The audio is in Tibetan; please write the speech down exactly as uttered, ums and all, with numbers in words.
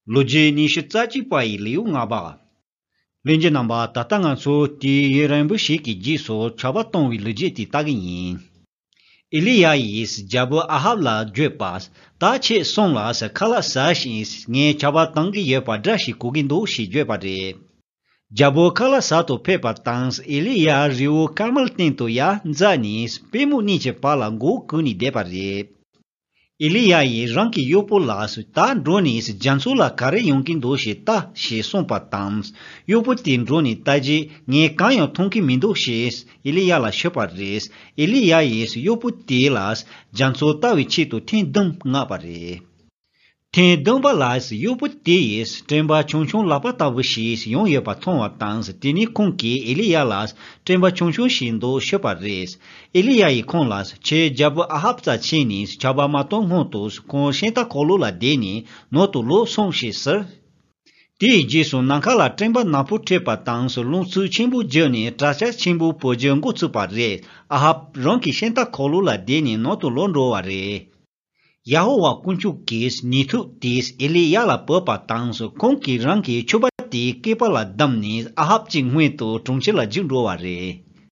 ལོ་རྒྱུས་ཉི་ཤུ་རྩ་གཅིག་པ་ཡི་ལེའུ་ལྔ་པ། ལྷན་རྒྱས་རྣམ་པ། ད་ལྟ་ང་ཚོ་དུས་ཡུན་རིང་པོ་ཞིག་གི་རྗེས་སུ་ཆར་པ་གཏོང་བའི་ལོ་རྒྱུས་དེ་ལྟ་གི་ཡིན། ཨེ་ལི་ཡ་ཡིས་རྒྱལ་པོ་ཨ་ཧབ་ལ་བརྗོད་པ། ད་ཁྱེད་སོང་ལ་ཁ་ལག་ཟ་ཞིང་། ངས་ཆར་པ་གཏོང་གི་ཡོད་པ་སྒྲ་ཞིག་གོ་གི་འདུག་ཞེས་བརྗོད་པ་རེད། རྒྱལ་པོ་ཁ་ལག་ཟ་དུ་ཕེབས་པ་དང་། ཨེ་ལི་ཡ་རི་བོ་ཀར་མེལ་སྟེང་དུ་ཡར་འཛེགས་ནས། པུས་མོ་གཉིས་ཀྱི་བར་ལ་མགོ་གུག་ནས་བསྡད་པ་རེད། ཨེ་ལི་ཡ་ཡིས་རང་གི་གཡོག་པོ་ལ། ད་འགྲོ་ནས་རྒྱ་མཚོ་ལ་ག་རེ་ཡོང་གི་འདུག་ཞེས་ལྟ་ཞེས་གསུངས་པ་དང་། གཡོག་པོ་དེས་འགྲོ་ནས་ལྟ་རྗེས། ངས་གང་ཡང་མཐོང་གི་མི་འདུག་ཞེས་ཨེ་ལི་ཡ་ལ་ཤོད་པ་རེད། ཨེ་ལི་ཡ་ཡིས་གཡོག་པོ་དེ་ལ་རྒྱ་མཚོ་ལྟ་བའི་ཆེད་དུ་ཐེངས་བདུན་མངགས་པ་རེད། ཐེངས་བདུན་པ་ལ་གཡོག་པོ་དེ་ཡིས་སྤྲིན་པ་ཆུང་ཆུང་ལག་པ་ལྟ་བུ་ཞིག་ཡོང་ཡོད་པ་མཐོང་བ་དང་། དེ་ནས་ཁོང་གིས་ཨེ་ལི་ཡ་ལ། སྤྲིན་པ་ཆུང་ཆུང་ཞིག་འདུག་ཤོད་པ་རེད། ཨེ་ལི་ཡ་ཡིས་ཁོང་ལ། ཁྱེད་རྒྱལ་པོ་ཨ་ཧབ་རྩར་ཕྱིན་ནས་ཆར་པ་མ་གཏོང་སྔོན་དུ་ཁོང་ཤིང་རྟ་འཁོར་ལོ་ལ་བསྡད་ནས་ནང་དུ་ལོག་སོང་ཞེས་ཟེར། དེའི་རྗེས་སུ་ནམ་མཁའ་ལ་སྤྲིན་པ་ནག་པོ་འཁྲིགས་པ་དང་། རླུང་འཚུབ་ཆེན་པོ་རྒྱུག་ནས་དྲག་ཆར་ཆེན་པོ་བུ་རྒྱུད་འགོ་ཚུགས་པ་རེད། ཨ་ཧབ་རང་གི་ཤིང་རྟ་འཁོར་ལོ་ལ་བསྡད་ནས་ནང་དུ་ལོག་འགྲོ་བ་རེད། ཡ་ཧོ་ཝཱ་དཀོན་མཆོག་གིས་ནུས་མཐུ་དེས་ཨེ་ལི་ཡ་ལ་བོས་པ་དང་། ཁོང་གིས་རང་གི་ཕྱུ་པ་དེའི་སྐེད་པ་ལ་བསྡམས་ནས་ཨ་ཧབ་ཀྱི་སྔོན་དུ་གྲོང་ཁྱེར་ལ་རྒྱུགས་འགྲོ་བ་རེད།